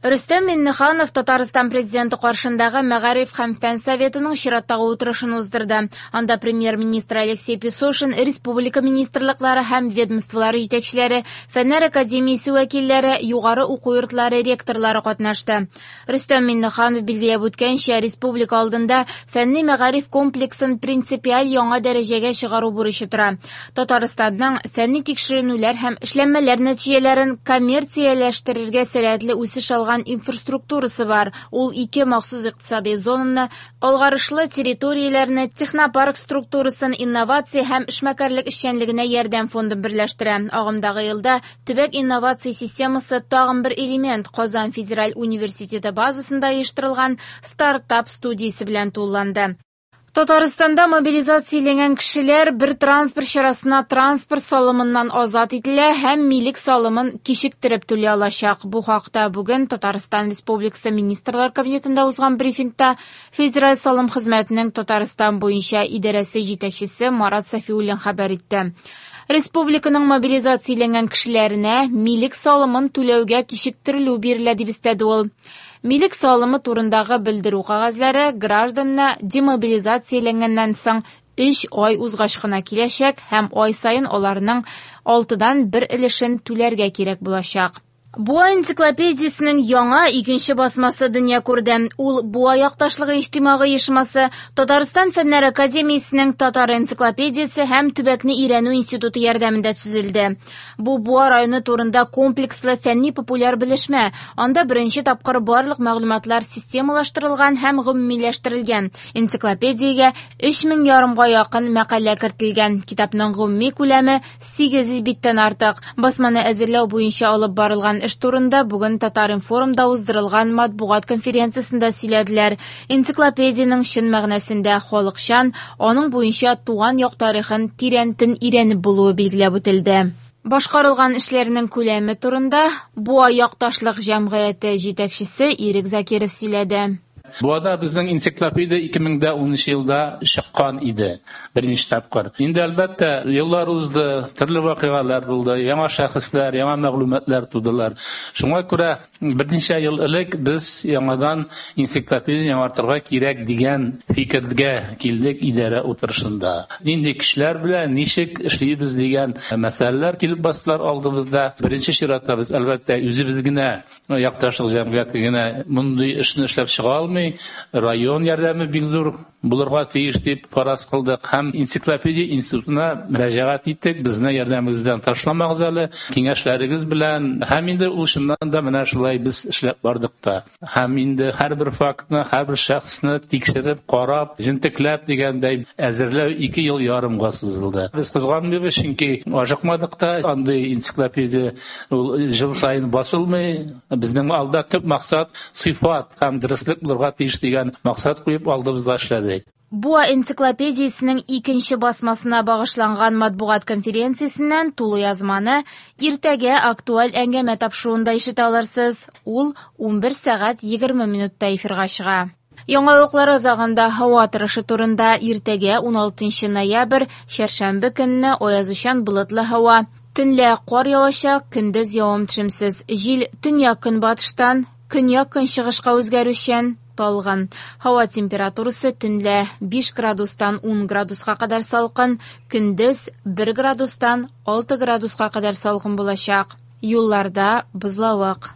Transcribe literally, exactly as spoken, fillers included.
Рөстәм Миңнеханов Татарстан президенты каршындагы Мәгариф һәм фән советының чираттагы утырышын уздырды. Анда премьер-министр Алексей Песошин, республика министрлыклары һәм ведомстволары җитәкчеләре, Фәннәр академиясе вәкилләре, югары уку йортлары ректорлары катнашты. Рөстәм Миңнеханов билгеләп үткәнчә, республика алдында фәнни мәгариф комплексын принципиаль яңа дәрәҗәгә чыгару бурычы тора. Татарстанның фәнни тикшеренүләр һәм эшләнмәләр нәтиҗәләрен коммерцияләштерергә сәләтле үсеш алган инфраструктурасы бар. Ул ике махсус икътисади зонаны, алгарышлы территорияләрне, технопарк структурасын, инновация һәм эшмәкәрлек эшчәнлегенә ярдәм фондын берләштерә. Агымдагы елда төбәк инновация системасы тагын бер элемент Казан федераль университеты базасында оештырылган стартап студиясе белән тулыланды. Татарстанда мобилизацияләнгән кешеләр бер транспорт чарасына транспорт салымыннан азат ителә һәм милек салымын кичектереп түли алачак. Бу хакта бүген Татарстан Республикасы Министрлар Кабинетында узган брифингта Федераль салым хезмәтенең Татарстан буенча идарәсе җитәкчесе Марат Сафиуллин хәбәр итте. Республиканың мобилизацияләнгән кешеләренә милек салымын түләүгә кичектерелү бирелә дип өстәде ул. Милек салымы турындагы белдерү кәгазьләре гражданны демобилизацияләнгәннән соң өч ай узгач кына киләчәк һәм ай саен аларның алтыдан бер өлешен түләргә кирәк булачак. Буа энциклопедиясенең яңа икенче басмасы дөнья күрде. Ул Буа якташлыгы иҗтимагый оешмасы, Татарстан Фәннәр академиясенең Татар энциклопедиясе һәм Төбәкне өйрәнү институты ярдәмендә төзелде. Бу Буа районы турында комплекслы фәнни-популяр белешмә. Анда беренче тапкыр барлык мәгълүматлар системалаштырылган һәм гомумиләштерелгән. Энциклопедиягә өч мең ярымга якын мәкалә кертелгән. Китапның гомуми күләме сигез йөз биттән артык. Басманы әзерләү буенча алып барылган эш турында бүген Татар-информда уздырылган матбугат конференциясендә сөйләделәр. Энциклопедиянең чын мәгънәсендә халыкчан, аның буенча туган як тарихын тирәнтен өйрәнеп булуы билгеләп үтелде. Башкарылган эшләрнең күләме турында Буа якташлык җәмгыяте җитәкчесе Ирек Закиров сөйләде. Буада безнең энциклопедия ике мең дә унынчы елда чыккан иде, беренче тапкыр. Инде әлбәттә еллар узды, төрле вакыйгалар булды, яңа шәхесләр, яңа мәгълүматлар тудылар. Шуңа күрә берничә ел элек без яңадан энциклопедия яңартырга кирәк дигән фикергә килдек идарә утырышында. Нинди кешеләр белән ничек эшлибез дигән мәсьәләләр килеп бастылар алдыбызда. Беренче чиратта без әлбәттә үзебез генә, якташлык җәмгыяте генә мондый эшне эшләп чыга алмый. Район ярдәме бик зур булырга тиеш дип фараз кылдык һәм энциклопедия институтына мөрәҗәгать иттек. Безне ярдәмегездән ташламагыз әле, киңәшләрегез белән. Һәм инде ул чыннан да менә шулай без эшләп бардык та. Һәм инде һәрбер фактны, һәрбер шәхесне тикшереп, карап, җентекләп дигәндәй әзерләү ике ел ярымга сузылды. Без кызганмыйбыз, чөнки ашыкмадык та, андый энциклопедия ул ел саен басылмый. Безнең алда төп максат сыйфат һәм дөреслек булырга тиеш дигән максат куеп алдыбызга эшләдек. Буа энциклопедиясенең икенче басмасына багышланган матбугат конференциясеннән тулы язманы иртәгә актуаль әңгәмә тапшыруында ишетә алырсыз. Ул унбер сәгать егерме минутта эфирга чыга. Яңалыклар азагында һава торышы турында иртәгә уналтынчы ноябрь, чәршәмбе көнне аязучан болытлы һава. Төнлә кар явачак, көндез явым-төшемсез. Җил төньяк-көнбатыштан көньяк-көнчыгышка үзгәрүчән, талгын. Һава температурасы төнлә биш градустан ун градуска кадәр салкын, көндез бер градустан алты градуска кадәр салкын булачак. Юлларда бозлавык.